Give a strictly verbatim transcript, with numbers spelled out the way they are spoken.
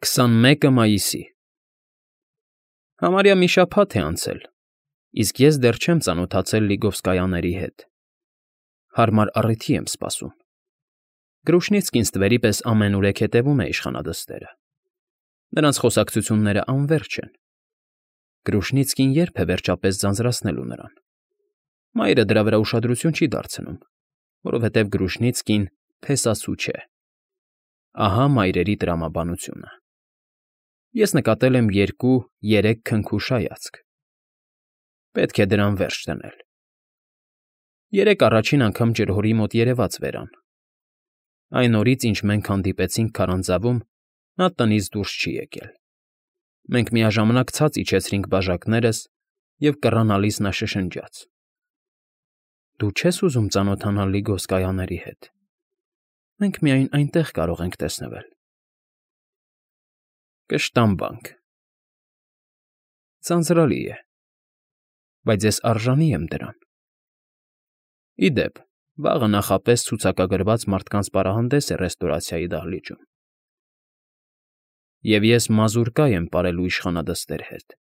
քսանմեկը մայիսի Համարյա մի շաբաթ է անցել, իսկ ես դեռ չեմ ծանոթացել Լիգովսկայանների հետ, հարմար առիթի եմ սպասում. Գրուշնիցկին ստվերի պես ամենուրեք հետևում է իշխանադստերը, նրանց խոսակցություններն անվերջ են, Գրուշնիցկին ե՞րբ է վերջապես ձանձրացնելու նրան, մայրը դրա վրա ուշադրություն չի դարձնում, որովհետև Գրուշնիցկին փեսացու չէ, ահա մայրերի տրամաբանությունը. Ես նկատել եմ երկու֊երեք քնքուշ հայացք, պետք է դրան վերջ դնել. Երեկ առաջին անգամ ջրհորի մոտ երևաց Վերան, այն օրից, ինչ մենք հանդիպեցինք քարանձավում, նա տնից դուրս չի եկել, մենք միաժամանակ ցած իջեցրինք բաժակներս և կռանալիս նա շշնջաց. «Դու չե՞ս ուզում ծանոթանալ Լիգովսկայաների հետ, մենք միայն այնտեղ կարող ենք տեսնվել»։ Կշտամբանք… Ձանձրալի է, բայց ես արժանի եմ դրան… Ի դեպ, վաղը նախապես ցուցակագրված մարդկանց պարահանդես է ռեստորացիայի դահլիճում, և ես մազուրկա եմ պարելու իշխանադստեր հետ։